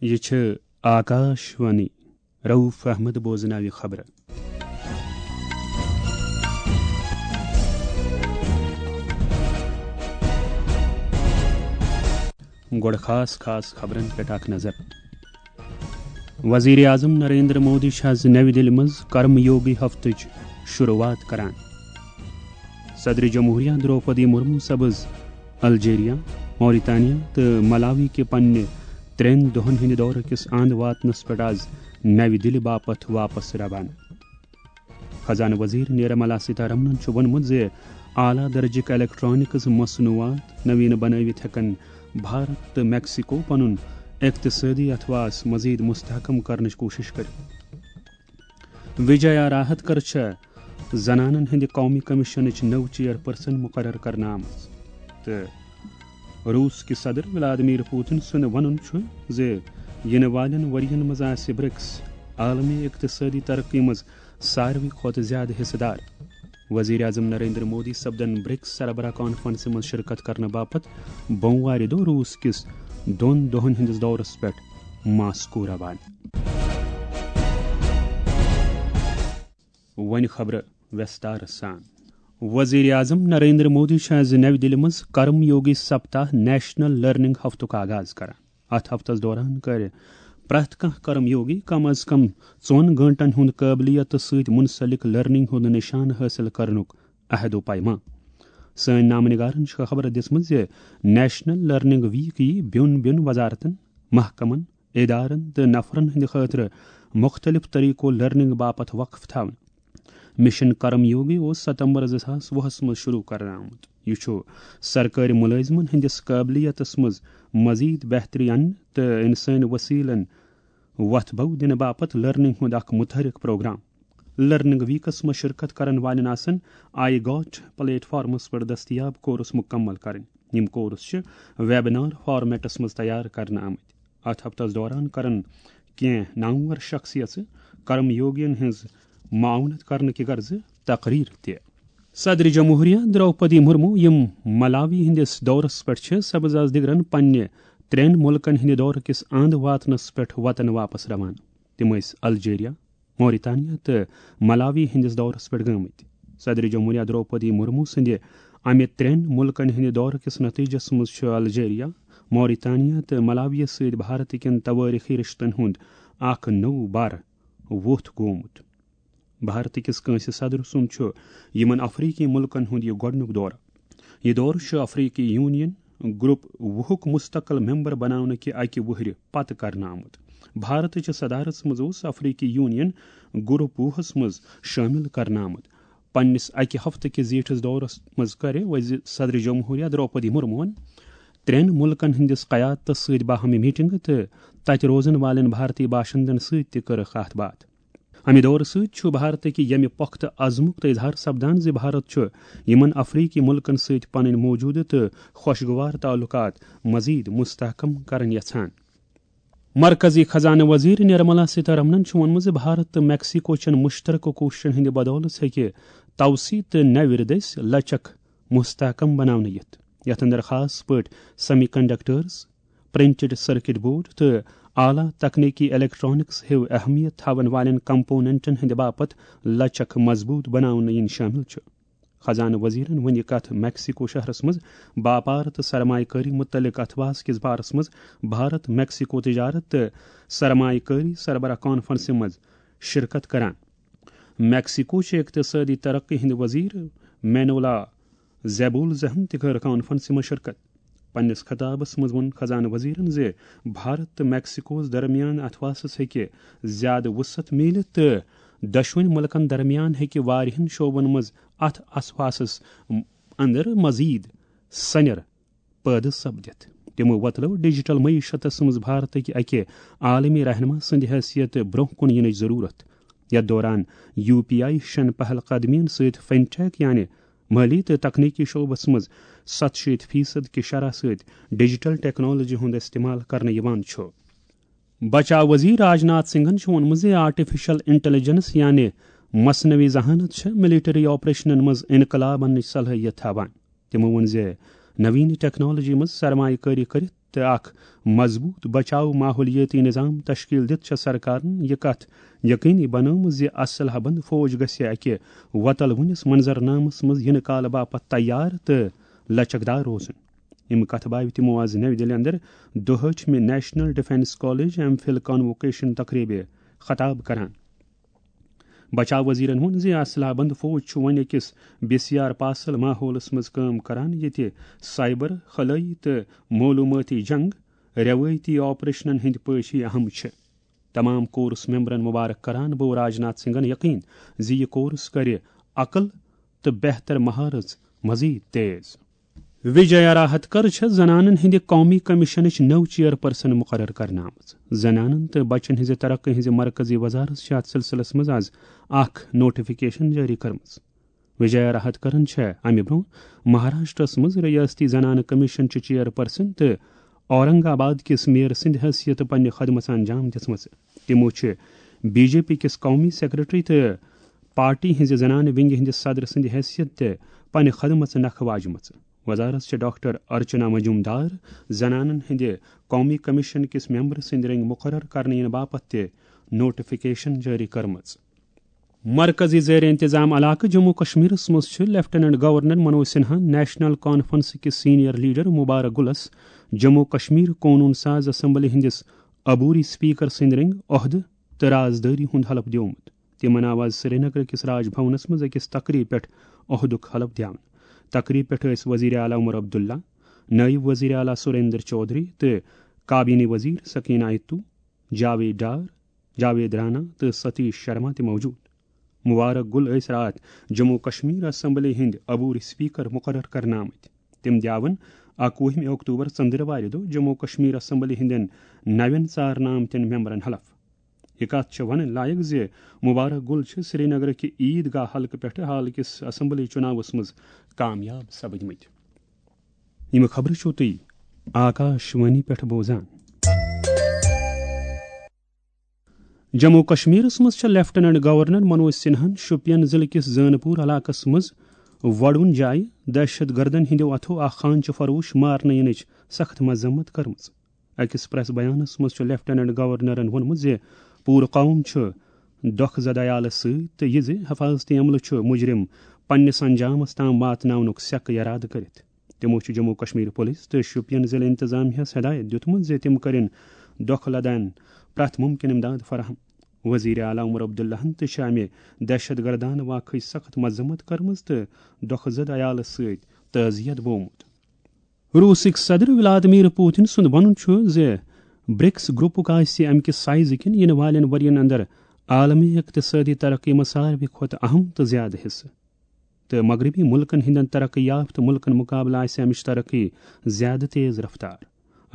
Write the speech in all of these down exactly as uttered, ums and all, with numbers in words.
یہِ چھِ آکاش وانی۔ رؤف احمد بوزناوِ خبرٕ۔ گۄڈٕ خاص خاص خبرن پٮ۪ٹھ اکھ نظر۔ وزیر اعظم نریندر مودی چھِ آز نَوِ دِلہِ منٛز کرم یوگی ہفتٕچ شروعات کران۔ صدر جمہوریہ دروپدی مرمو سپٕز الجیریا، موریتانیا تہٕ ملاوی کہِ پننہِ ترٛٮ۪ن دۄہن ہٕنٛدِ دورٕ کِس اند واتنس پٮ۪ٹھ آز نَوِ دِلہِ باپتھ واپس روانہٕ۔ خزانہٕ وزیر نرملا سیتارمنن چھُ ووٚنمُت زِ اعلیٰ درجٕک الیکٹرانکس مصنوعات نوین بنٲوِتھ ہٮ۪کن بھارت تہٕ میکسیکو پنُن اقتصٲدی اثاثہٕ مزید مستحکم کرنٕچ کوٗشش کٔرِتھ۔ وجایا راہتکر چھےٚ زنانن ہٕنٛدِ قومی کمیشنٕچ نٔو چیئرپرسن مقرر کرنہٕ آمٕژ تہٕ روٗس کہِ صدر ولادیمیر پوتن سُنٛد وَنُن چھُ زِ یِنہٕ والٮ۪ن ؤرۍ یَن منٛز آسہِ برکس عالمی اقتصٲدی ترقی منٛز ساروی کھۄتہٕ زیادٕ حصہٕ دار۔ وزیر اعظم نریندر مودی سپدن برکس سربراہ کانفرنسہِ منٛز شرکت کرنہٕ باپتھ بوموارِ دۄہ روٗس کِس دۄن دۄہن ہٕنٛدِس دورس پٮ۪ٹھ ماسکو روانہٕ۔ وۄنۍ خبرٕ ویستار سان۔ وزیر اعظم نریندر مودی چھُ آز نَوِ دِلہِ منٛز کرم یوگی سپتاہ نیشنل لرننگ ہفتُک آغاز کران۔ اتھ ہفتس دوران کرِ پرٛٮ۪تھ کانٛہہ کرم یوگی کم از کم ژۄن گٲنٛٹن ہُنٛد قٲبلیتس سۭتۍ منسلک لرننگ ہُنٛد نشانہٕ حٲصِل کرنُک عہد و پیمان۔ سٲنۍ نامہٕ نگارن چھِ خبر دِژمٕژ زِ نیشنل لرننگ ویک یِیہِ بیوٚن بیوٚن وزارتن، محکمن، ادارن تہٕ نفرن ہٕنٛدِ خٲطرٕ مُختٔلِف طریقو لرننگ باپتھ وقف تھاونہٕ۔ مشن کرم یوگی اوس ستمبر زٕ ساس وُہس منٛز شروع کرنہٕ آمُت۔ یہِ چھُ سرکٲرۍ مُلٲزمن ہٕنٛدِس قٲبلیتس منٛز مزید بہتری اننہٕ تہٕ انسٲنی وسیلن وۄتھ بو دِنہٕ باپتھ لرننگ ہُنٛد اکھ متحرک پروگرام۔ لرننگ ویکس منٛز شرکت کرن والٮ۪ن آسن آئی گاٹ پلیٹ فارمس پٮ۪ٹھ دستیاب کورس مکمل کرٕنۍ۔ یِم کورس چھِ ویبنار فارمیٹس منٛز تیار کرنہٕ آمٕتۍ۔ اتھ ہفتس دوران کرن کینٛہہ نامور شخصیژٕ کرم یوگین ہٕنٛز معاونت کرنہٕ کہِ غرضہٕ تقریر تہِ۔ صدر جمہوریہ دروپدی مرمو، یِم ملاوی ہٕنٛدِس دورس پٮ۪ٹھ چھِ، سپٕز آز دِگرن پننہِ ترٛٮ۪ن مُلکن ہٕنٛدِ دورٕ کِس اند واتنس پٮ۪ٹھ وطن واپس روانہٕ۔ تِم ٲسۍ الجیریا، موریتانیا تہٕ ملاوی ہٕنٛدِس دورس پٮ۪ٹھ گٲمٕتۍ۔ صدر جمہوریہ دروپدی مرمو سٕنٛدِ امہِ ترٛٮ۪ن مُلکن ہٕنٛدِ دورٕ کِس نتیجس منٛز چھُ الجیریا، موریتانیا تہٕ ملاویَس سۭتۍ بھارت کٮ۪ن توٲریخی رشتن ہُنٛد اکھ نوٚو بر ووٚتھ گوٚومُت۔ بھارت کِس کٲنٛسہِ صدر سُنٛد چھُ یِمن افریقی مُلکن ہُنٛد یہِ گۄڈٕنیُک دورٕ۔ یہِ دورٕ چھُ افریقی یونین گروپ وُہُک مستقل ممبر بناونہٕ کہِ اکہِ وُہرِ پتہٕ کرنہٕ آمُت۔ بھارتٕچ صدارتس منٛز اوس افریقی یونین گروپ وُہس منٛز شٲمِل کرنہٕ آمُت۔ پننِس اکہِ ہفتہٕ کِس زیٖٹھِس دورس منٛز کرِ وزیر صدر جمہوریہ دروپدی مرموہن ترٛٮ۪ن مُلکن ہٕنٛدِس قیادتس سۭتۍ باہمی میٹنگہٕ تہٕ تتہِ روزن والٮ۪ن بھارتی باشندن سۭتۍ تہِ کٔرٕکھ کتھ باتھ۔ امہِ دورٕ سۭتۍ چھُ بھارتٕکۍ ییٚمہِ پۄختہٕ عزمُک تہٕ اظہار سپدان زِ بھارت چھُ یِمن افریقی مُلکن سۭتۍ پنٕنۍ موجودٕ تہٕ خوشگوار تعلقات مزید مستحکم کرٕنۍ یژھان۔ مرکزی خزانہٕ وزیر نرملا سیتارمنن چھُ ووٚنمُت زِ بھارت تہٕ میکسیکو چٮ۪ن مشترکہٕ کوٗششن ہٕنٛدِ بدولہٕ ہیٚکہِ توسیع تہٕ نوِ دٔسۍ لچک مستحکم بناونہٕ یِتھ، یتھ اندر خاص پٲٹھۍ semi conductors, printed circuit board تہٕ اعلیٰ تکنیکی الیکٹرانکس ہیو اہمیت تھاون والٮ۪ن کمپوننٹن ہٕنٛدِ باپتھ لچک مضبوط بناونہٕ یِنۍ شٲمِل چھُ۔ خزانہٕ وزیرن ووٚن یہِ کتھ میکسیکو شہرس منٛز باپار تہٕ سرمایہ کٲری متعلق اتھواس کِس بارس منٛز بھارت میکسیکو تجارت تہٕ سرمایہ کٲری سربراہ کانفرنسہِ منٛز شرکت کران۔ میکسیکو چہِ اقتصٲدی ترقی ہٕنٛدۍ وزیر مینولا زیبولزہن تہِ کٔر کانفرنسہِ منٛز شرکت۔ پننِس خطابس منٛز ووٚن خزانہٕ وزیرن زِ بھارت تہٕ میکسیکوہس درمیان اتھواسس ہیٚکہِ زیادٕ وسعت میٖلِتھ تہٕ دۄشوٕنۍ مُلکن درمیان ہیٚکہِ واریاہن شعبن منٛز اتھ اتھواسس اندر مزید سنیر پٲدٕ سپدِتھ۔ تِمو وۄتلٲو ڈیجیٹل معیشتس منٛز بھارتٕکۍ اکہِ عالمی رہنما سٕنٛدِ حیثیت برٛونٛہہ کُن یِنٕچ ضروٗرت، یتھ دوران یو پی آئی ہِشن پہل قدمیَن سۭتۍ فنٹیک یعنی مٲلی تہٕ تکنیکی شعبس منٛز ستشیٖتھ فیصد کہِ شرح سۭتۍ ڈیجیٹل ٹیکنالوجی ہُنٛد استعمال کرنہٕ یِوان چھُ۔ بچاو وزیر راج ناتھ سنگھن چھُ ووٚنمُت زِ آرٹیفیشل انٹیلیجنس یعنی مصنوعی ذہانت چھِ ملٹری آپریشنن منٛز انقلاب اننٕچ صلٲحیت تھاوان۔ تِمو ووٚن زِ نوین ٹیکنالوجی منٛز سرمایہ کٲری کٔرِتھ تہٕ اکھ مضبوٗط بچاو ماحولیٲتی نظام تشکیل دِتھ چھےٚ سرکارن یہِ کتھ یقینی بنٲومٕژ زِ اسلحہ بند فوج گژھِ اکہِ وۄتلوٕنِس منظرنامس منٛز یِنہٕ کالہٕ باپتھ تیار تہٕ لچکدار روزُن۔ یِم کتھٕ باوِ تِمو آز نَوِ دِلہِ اندر دُہٲٹھمہِ national defence college M phil convocation تقریبہِ خطاب کران۔ بچاو وزیرن ووٚن زِ اسلحہ بند فوج چھُ وۄنۍ أکِس بے سیار پاسل ماحولس منٛز کٲم کران، ییٚتہِ سائبر، خلٲیی تہٕ معلومٲتی جنگ روایتی آپریشنن ہٕنٛدۍ پٲٹھۍ اہم چھِ۔ تمام کورس ممبرن مبارک کران بو راجناتھ سنگھن یقین زِ یہِ کورس کرِ عقل تہٕ بہتر مہارت مزید تیز۔ وجیا راہتکر چھےٚ زنانن ہٕنٛدِ قومی کمیشنٕچ نٔو چیئرپرسن مقرر کرنہٕ آمٕژ۔ زنانن تہٕ بچن ہٕنٛزِ ترقی ہٕنٛزِ مرکزی وزارت چھےٚ اتھ سلسلس منٛز از اکھ نوٹیفکیشن جٲری کٔرمٕژ۔ وجیا راہتکرن چھےٚ امہِ برونٛہہ مہاراشٹرس منٛز ریاستی زنانہٕ کمیشن چہِ چیئرپرسن تہٕ اورنگ آباد کِس میئر سٕنٛدِ حیثیتہٕ پننہِ خدمژ انجام دِژمٕژ۔ تِمو چھِ بی جے پی کِس قومی سیکرٹری تہٕ پارٹی ہٕنٛزِ زنانہٕ ونگہِ ہٕنٛدِ صدر سٕنٛدِ حیثیت تہِ پننہِ خدمژ نکھٕ واجمٕژ۔ وزارت چھِ ڈاکٹر ارچنا مجومدار زنانن ہٕنٛدِ قومی کمیشن کِس ممبر سٕنٛدِ رنگۍ مقرر کرنہٕ یِنہٕ باپتھ تہِ نوٹیفکیشن جٲری کٔرمٕژ۔ مرکزی زیر انتظام علاقہٕ جموں کشمیرس منٛز چھِ lieutenant governor Manoj Sinha national conference کِس سینئر لیڈر مبارک گلس جموں کشمیر قونون ساز اسمبلی ہٕنٛدِس عبوری اسپیکر سٕنٛدِ رنگۍ عہدٕ تہٕ رازدٲری ہُنٛد حلف دیومُت۔ تِمن آو آز سرینگر کِس راج بھونس منٛز أکِس تقریب پٮ۪ٹھ عہدُک حلف دیاونہٕ۔ تقریب پٮ۪ٹھ ٲسۍ وزیر اعلیٰ عمر عبداللہ، نٲیِب وزیر اعلیٰ سریندر چودھری تہٕ کابینی وزیر سکینہ آیتو، جاوید ڈار، جاوید رانا تہٕ ستیش شرما تہِ موجود۔ مبارک گل ٲسۍ راتھ جموں کشمیر اسمبلی ہٕنٛدۍ عبوری اسپیکر مقرر کرنہٕ آمٕتۍ۔ تِم دیاون اکوُہمہِ اکتوبر ژندروارِ دۄہ جموں کشمیر اسمبلی ہٕنٛدٮ۪ن نوٮ۪ن ژارنہٕ آمتٮ۪ن ممبرن حلف۔ یہِ کتھ چھےٚ ونٕنۍ لایق زِ مبارک گل چھِ سرینگرٕکہِ عید گاہ حلقہٕ پٮ۪ٹھٕ حال کِس اسمبلی چُناوس منٛز کامیاب سپدمٕتۍ۔ یِم خبرٕ چھِو تُہۍ آکاش وانی پٮ۪ٹھ بوزان۔ جموں کشمیرس منٛز چھےٚ لیفٹیننٹ گورنر منوج سنہن شوپین ضلعہٕ کِس زٲنہٕ پوٗر علاقس منٛز وۄڈوُن جایہِ دہشت گردن ہٕنٛدیو اتھو اکھ خانچہ فروش مارنہٕ یِنٕچ سخت مذمت کٔرمٕژ۔ أکِس پریس بیانس منٛز چھُ لیفٹیننٹ گورنرن ووٚنمُت زِ پوٗرٕ قوم چھُ دۄکھٕ زد عیالس سۭتۍ تہٕ یہِ زِ حفاظتی عملہٕ چھُ مجرم پننِس انجامس تام واتناونُک سیکہٕ ارادٕ کٔرِتھ۔ تِمو چھُ جموں کشمیر پولیس تہٕ شوپین ضلعہٕ انتظامیہس ہدایت دیُتمُت زِ تِم کٔرِن دۄکھٕ لدن پرٛٮ۪تھ مُمکِن امداد فراہم۔ وزیر اعلیٰ عمر عبداللہن تہِ چھِ امہِ دہشت گردانہٕ واقعٕچ سخت مذمت کٔرمٕژ تہٕ دۄکھٕ زد عیالس سۭتۍ تعزیت بومُت۔ روسٕکۍ صدر ولادیمیر پوتن سُنٛد ونُن چھُ زِ برکس گروپُک آسہِ امہِ کہِ سائزٕ کِنۍ یِنہٕ والٮ۪ن ؤرین اندر عالمی اقتصٲدی ترقی منٛز ساروی کھۄتہٕ اہم تہٕ زیادٕ حصہٕ، تہٕ مغربی ملکن ہٕنٛدٮ۪ن ترقی یافتہٕ ملکن مقابلہٕ آسہِ امِچ ترقی زیادٕ تیز رفتار۔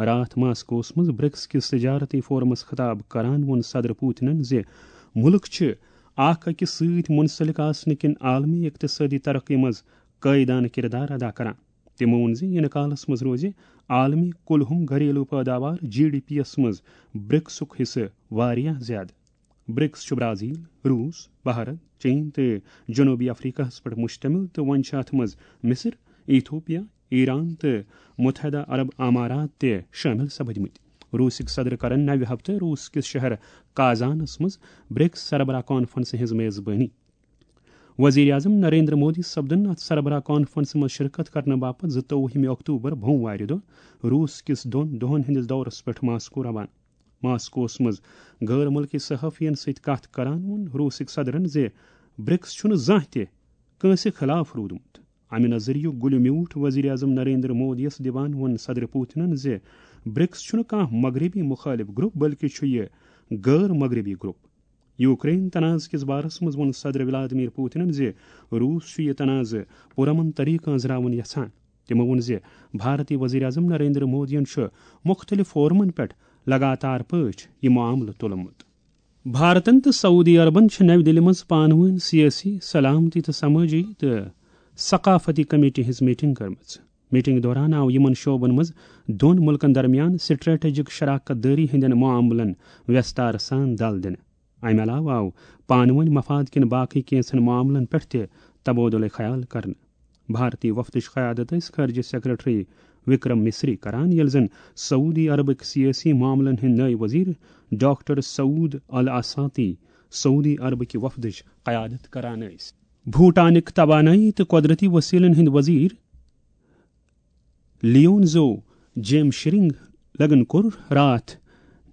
راتھ ماسکوس منٛز برکس کِس تجارتی فورمس خطاب کران ووٚن صدر پوتنن زِ ملک چھِ اکھ أکِس سۭتۍ منسلک آسنہٕ کِنۍ عالمی اقتصٲدی ترقی منٛز قٲیدانہٕ کردار ادا کران۔ تِمو ووٚن زِ یِنہٕ کالس منٛز روزِ عالمی کُلہُم گھریلو پٲداوار، جی ڈی پی یَس منٛز برکسُک حصہٕ واریاہ زیادٕ۔ برکس چھُ برازیل، روس، بھارت، چین تہٕ جنوبی افریقہس پٮ۪ٹھ مشتمل تہٕ وۄنۍ چھِ اتھ منٛز مصر، ایتھوپیا، ایران تہٕ متحدہ عرب امارات تہِ شٲمِل سپدمٕتۍ۔ روسٕکۍ صدر کرن نوِ ہفتہٕ روس کِس شہر کازانس منٛز برکس سربراہ کانفرنسہِ ہٕنٛز میزبٲنی۔ وزیر اعظم نریندر مودی سپدن اتھ سربراہ کانفرنسہِ منٛز شرکت کرنہٕ باپتھ زٕتووُہمہِ اکتوبر بوموارِ دۄہ روس کِس دۄن دۄہن ہٕنٛدِس دورس پٮ۪ٹھ ماسکو روانہٕ۔ ماسکوس منٛز غٲر مُلکی صحافین سۭتۍ کتھ کران ووٚن روسٕکۍ صدرن زِ برکس چھُنہٕ زانٛہہ تہِ کٲنٛسہِ خلاف روٗدمُت۔ امہِ نظریُک گُلہِ میوٗٹھ وزیر اعظم نریندر مودیَس دِوان ووٚن صدر پوتنن زِ برکس چھُنہٕ کانٛہہ مغربی مخٲلف گروپ، بلکہِ چھُ یہِ غٲر مغربی گروپ۔ یوکرین تنازٕ کِس بارس منٛز ووٚن صدر ولادیمیر پوتنن زِ روس چھُ یہِ تنازٕ پُرامن طریقہٕ أنٛزراوُن یژھان۔ تِمو ووٚن زِ بھارتی وزیر اعظم نریندر مودیَن چھُ مُختٔلِف فورمن پٮ۪ٹھ لگاتار پٲٹھۍ یہِ معاملہٕ تُلمُت۔ بھارتن تہٕ سعودی عربن چھِ نَوِ دِلہِ منٛز پانہٕ وٲنۍ سیٲسی، سلامتی تہٕ سمٲجی تہٕ ثقافتی کمیٹی ہٕنٛز میٹنگ کٔرمٕژ۔ میٹنگ دوران آو یِمن شعبن منٛز دۄن مُلکن درمیان سٹریٹجک شراکت دٲری ہٕنٛدٮ۪ن معاملن ویستار سان دل دِنہٕ۔ امہِ علاوٕ آو پانہٕ وٲنۍ مفاد کٮ۪ن باقٕے کینٛژن معاملن پٮ۪ٹھ تہِ تبادلہ خیال کرنہٕ۔ بھارتی وفدٕچ قیادت ٲسۍ خارجہ سیکرٹری وکرم مصری کران، ییٚلہِ زن سعودی عربٕکۍ سیٲسی معاملن ہٕنٛدۍ نٲیِب وزیر ڈاکٹر سعود الاساطی سعودی عربٕکہِ وفدٕچ قیادت کران ٲسۍ۔ بھوٹانٕکۍ توانٲیی تہٕ قۄدرتی وسیلن ہٕنٛدۍ وزیر لیونزو جیم شرنگ لگن کوٚر راتھ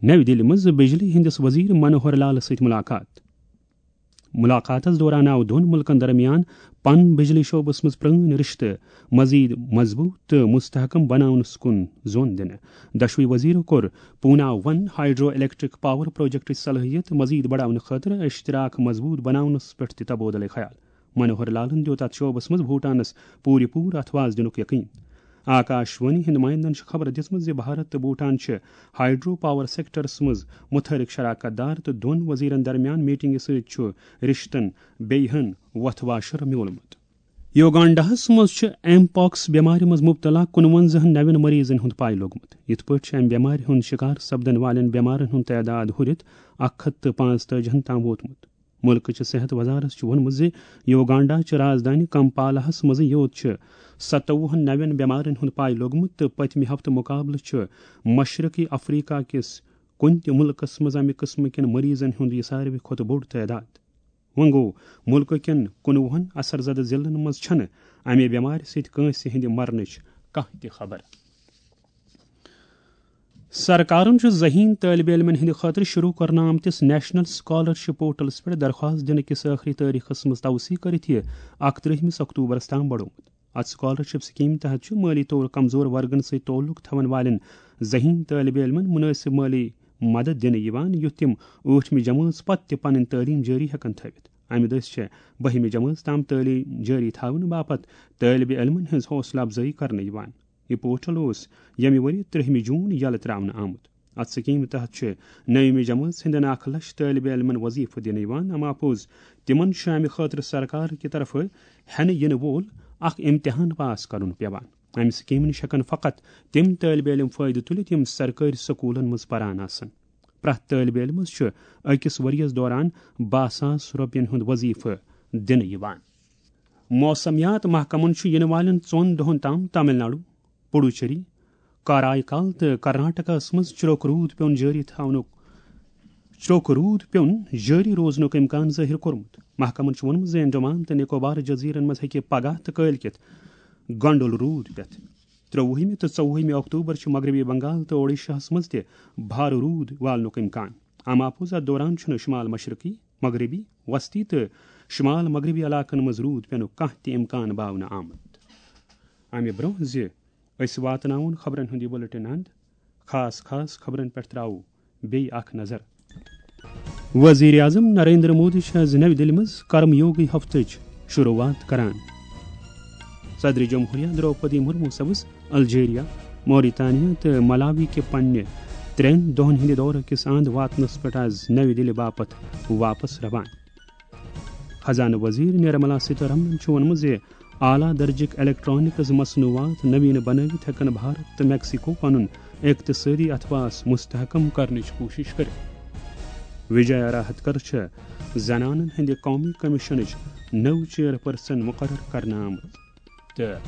نَوِ دِلہِ منٛز بجلی ہٕنٛدِس وزیر منوہر لالس سۭتۍ ملاقات۔ ملاقاتس دوران آو دۄن مُلکن درمیان پن بجلی شعبس منٛز پرٲنۍ رشتہٕ مزید مضبوط تہٕ مستحکم بناونس کُن زون دِنہٕ۔ دۄشوٕے وزیرو کوٚر پونا ون ہائیڈرو الیکٹرک پاور پروجیکٹٕچ صلٲحیت مزید بڑاونہٕ خٲطرٕ اشتراک مضبوط بناونس پٮ۪ٹھ تہِ تبادلہٕ خیال۔ منوہر لالن دیُت اتھ شعبس منٛز بھوٹانس پوٗرٕ پوٗرٕ اتھواز دِنُک یقین۔ آکاش وانی ہٕنٛدۍ نمائندن چھِ خبر دِژمٕژ زِ بھارت تہٕ بھوٹان چھِ ہائیڈرو پاور سیکٹرس منٛز متحرک شراکت دار تہٕ دۄن وزیرن درمیان میٹنگہِ سۭتۍ چھُ رشتن بیٚیہِ ہن وۄتھٕ واشر میوٗلمُت۔ یوگانڈاہس منٛز چھِ ایم پاکس بٮ۪مارِ منٛز مبتلا کُنوَنزاہن نوٮ۪ن مریضن ہُنٛد پاے لوٚگمُت۔ یِتھ پٲٹھۍ چھِ امہِ بٮ۪مارِ ہُنٛد شکار سپدن والٮ۪ن بٮ۪مارن ہُنٛد تعداد ہُرِتھ اکھ ہتھ تہٕ پانٛژتٲجی ہن تام ووتمُت۔ مُلکٕچہِ صحت وزارت چھُ ووٚنمُت زِ یوگانڈا چہِ رازدٲنہِ کمپالاہس منٛزٕے یوت چھِ ستووُہن نوٮ۪ن بٮ۪مارن ہُنٛد پاے لوٚگمُت تہٕ پٔتمہِ ہفتہٕ مُقابلہٕ چھُ مشرقی افریقہ کِس کُنہِ تہِ مُلکس منٛز امہِ قٕسمہٕ کٮ۪ن مریضن ہُنٛد یہِ ساروی کھۄتہٕ بوٚڑ تعداد۔ وۄنۍ گوٚو، مُلکہٕ کٮ۪ن کُنوُہن اثر زدٕ ضلعن منٛز چھنہٕ امہِ بٮ۪مارِ سۭتۍ کٲنٛسہِ ہٕنٛدِ مرنٕچ کانٛہہ تہِ خبر۔ سرکارن چھُ ذہین طٲلبہِ علمن ہٕنٛدِ خٲطرٕ شروع کرنہٕ آمتِس نیشنل سکالرشپ پورٹلس پٮ۪ٹھ درخواست دِنہٕ کِس ٲخری تٲریخس منٛز توسیع کٔرِتھ یہِ اکترٕہمِس اکتوبرس تام بڑومُت۔ اتھ سکالرشپ سکیمہِ تحت چھُ مٲلی طور کمزور ورگن سۭتۍ تعلق تھاون والٮ۪ن ذہین طٲلبہِ علمن مناسب مٲلی مدد دِنہٕ یِوان، یُتھ تِم ٲٹھمہِ جمٲژ پتہٕ تہِ پنٕنۍ تعلیٖم جٲری ہٮ۪کن تھٲوِتھ۔ امہِ دٔسۍ چھےٚ بٔہمہِ جمٲژ تام تعلیٖم جٲری تھاونہٕ باپتھ طٲلبہِ علمن ہٕنٛز حوصلہٕ افزٲیی کرنہٕ یِوان۔ یہِ پورٹل اوس ییٚمہِ ؤرۍ ترٛہمہِ جون یلہٕ ترٛاونہٕ آمُت۔ اتھ سکیمہِ تحت چھِ نٔیمہِ جمٲژ ہٕنٛدٮ۪ن اکھ لچھ طٲلبہِ علمن وظیفہٕ دِنہٕ یِوان۔ اما پوٚز، تِمن چھُ امہِ خٲطرٕ سرکار کہِ طرفہٕ ہٮ۪نہٕ یِنہٕ وول اکھ امتحان پاس کرُن پٮ۪وان۔ امہِ سکیمہِ نِش ہٮ۪کن فقط تِم طٲلبہِ علم فٲیدٕ تُلِتھ، یِم سرکٲرۍ سکوٗلن منٛز پران آسن۔ پرٛٮ۪تھ طٲلبہِ علمس چھُ أکِس ؤرِیَس دوران باہ ساس رۄپین ہُنٛد وظیفہٕ دِنہٕ یِوان۔ موسمیات محکمن چھُ یِنہٕ والٮ۪ن ژۄن دۄہَن تام تامل ناڈو، پڈوچیری، کارائیکال تہٕ کرناٹکس منٛز چروک روٗد پیوٚن جٲری تھاونُک، چروک روٗد پیوٚن جٲری روزنُک امکان ظٲہِر کوٚرمُت۔ محکمن چھُ ووٚنمُت زِ انڈمان تہٕ نکوبار جزیرن منٛز ہیٚکہِ پگاہ تہٕ کٲلۍ کٮ۪تھ گنڈول روٗد پٮ۪تھ۔ ترٛۆوُہمہِ تہٕ ژوٚوُہمہِ اکتوبر چھُ مغربی بنگال تہٕ اوڈیشاہس منٛز تہِ بھارٕ روٗد والنُک امکان۔ اما پوٚز، اتھ دوران چھُنہٕ شمال مشرقی، مغربی، وسطی تہٕ شمال مغربی علاقن منٛز روٗد پینُک کانٛہہ تہِ امکان باونہٕ آمُت۔ امہِ برٛونٛہہ زِ أسۍ واتناوون خبرن ہُنٛد یہِ بُلٹن اند، خاص خاص خبرن پٮ۪ٹھ ترٛاوو بیٚیہِ اکھ نظر۔ وزیر اعظم نریندر مودی چھِ آز نَوِ دِلہِ منٛز کرم یوگی ہفتٕچ شروعات کران۔ صدر جمہوریہ درٛوپدی مرمو سپٕز الجیریا، موریتانیا تہٕ ملاوی کہِ پننہِ ترٛٮ۪ن دۄہن ہٕنٛدِ دورٕ کِس اند واتنس پٮ۪ٹھ آز نَوِ دِلہِ باپتھ واپس روان۔ خزانہٕ وزیر نرملا سیتارمن چھُ ووٚنمُت زِ اعلیٰ درجٕکۍ الیکٹرانکس مصنوعات نویٖنہٕ بنٲوِتھ ہٮ۪کن بھارت تہٕ میکسیکو پنُن اقتصٲدی اثبات مستحکم کرنٕچ کوٗشش کٔرِتھ۔ وجیا راہتکر چھِ زنانن ہٕنٛدِ قومی کمیشنٕچ نٔو چیئرپرسن مقرر کرنہٕ آمٕژ۔ تہٕ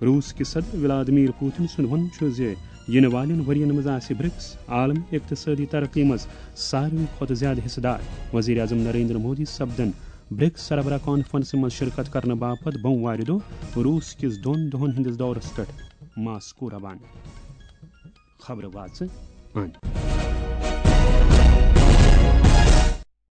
روٗس کہِ صدر ولادیمیر پوتن سُنٛد وَنُن چھُ زِ یِنہٕ والٮ۪ن ؤرۍ یَن منٛز آسہِ برکس عالمی اقتصٲدی ترقی منٛز ساروی کھۄتہٕ زیادٕ حصہٕ دار۔ وزیر اعظم نریندر مودی سپدن برکس سربراہ کانفرنسہِ منٛز شرکت کرنہٕ باپتھ بۄموارِ دۄہ روٗس کِس دۄن دۄہَن ہٕنٛدِس دورس پٮ۪ٹھ ماسکو روانہٕ۔ خبرٕ واژٕ اند۔